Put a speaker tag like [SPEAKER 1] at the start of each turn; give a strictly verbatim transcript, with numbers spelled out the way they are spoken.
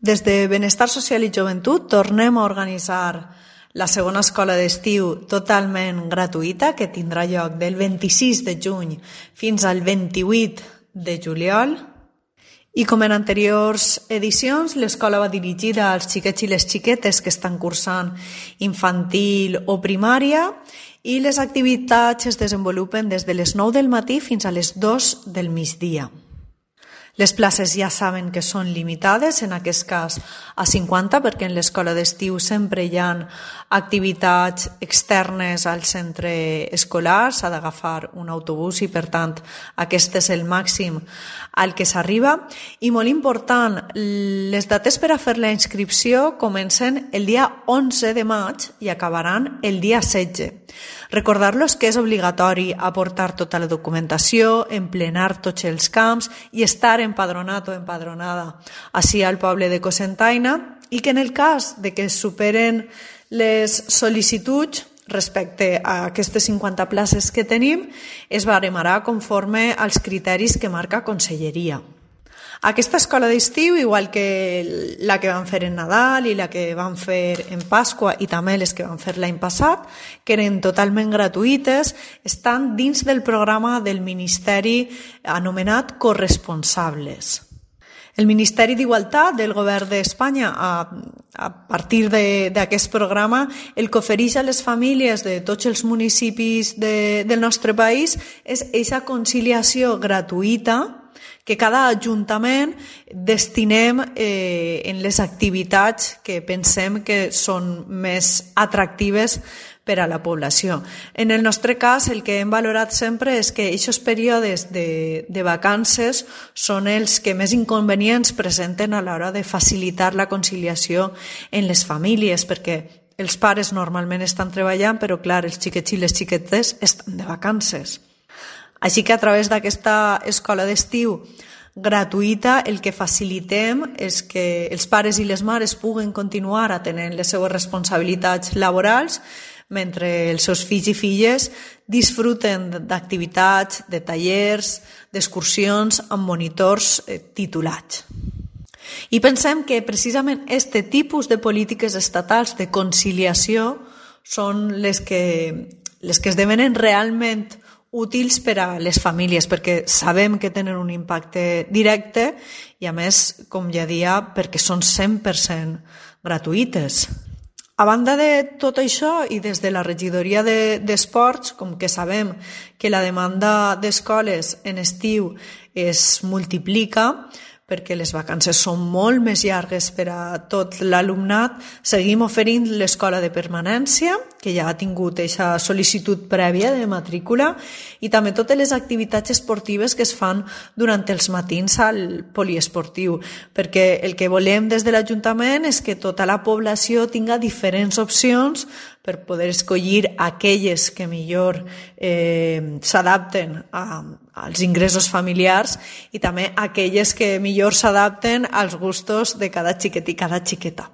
[SPEAKER 1] Des de Benestar Social i Joventut tornem a organitzar la segona escola d'estiu totalment gratuïta que tindrà lloc del vint-i-sis de juny fins al vint-i-vuit de juliol. I com en anteriors edicions, l'escola va dirigida als xiquets i les xiquetes que estan cursant infantil o primària i les activitats es desenvolupen des de les nou del matí fins a les dues del migdia. Les places ja saben que són limitades, en aquest cas a cinquanta, perquè en l'escola d'estiu sempre hi ha activitats externes al centre escolar, s'ha d'agafar un autobús i per tant aquest és el màxim al que s'arriba. I molt important, les dates per a fer la inscripció comencen el dia onze de maig i acabaran el dia setze. Recordar-los que és obligatori aportar tota la documentació, emplenar tots els camps i estar empadronat o empadronada així al poble de Cocentaina i que en el cas de que es superen les sol·licituds respecte a aquestes cinquanta places que tenim es baremarà conforme als criteris que marca Conselleria. Aquesta escola d'estiu, igual que la que van fer en Nadal i la que van fer en Pasqua i també les que van fer l'any passat, que eren totalment gratuïtes, estan dins del programa del Ministeri anomenat Corresponsables. El Ministeri d'Igualtat del Govern d'Espanya, a, a partir d'aquest programa, el que ofereix a les famílies de tots els municipis de, del nostre país és aquesta conciliació gratuïta que cada ajuntament destinem eh, en les activitats que pensem que són més atractives per a la població. En el nostre cas, el que hem valorat sempre és que aquests períodes de, de vacances són els que més inconvenients presenten a l'hora de facilitar la conciliació en les famílies, perquè els pares normalment estan treballant, però clar, els xiquets i les xiquetes estan de vacances. Així que a través d'aquesta escola d'estiu gratuïta el que facilitem és que els pares i les mares puguen continuar atenent les seues responsabilitats laborals mentre els seus fills i filles disfruten d'activitats, de tallers, d'excursions amb monitors titulats. I pensem que precisament aquest tipus de polítiques estatals de conciliació són les que, les que esdevenen realment útils per a les famílies, perquè sabem que tenen un impacte directe i, a més, com ja dia, perquè són cent per cent gratuïtes. A banda de tot això i des de la regidoria d'esports, com que sabem que la demanda d'escoles en estiu es multiplica, perquè les vacances són molt més llargues per a tot l'alumnat, seguim oferint l'escola de permanència, que ja ha tingut aquesta sol·licitud prèvia de matrícula, i també totes les activitats esportives que es fan durant els matins al poliesportiu, perquè el que volem des de l'Ajuntament és que tota la població tinga diferents opcions per poder escollir aquelles que millor eh, s'adapten a, als ingressos familiars i també aquelles que millor s'adapten als gustos de cada xiquet i cada xiqueta.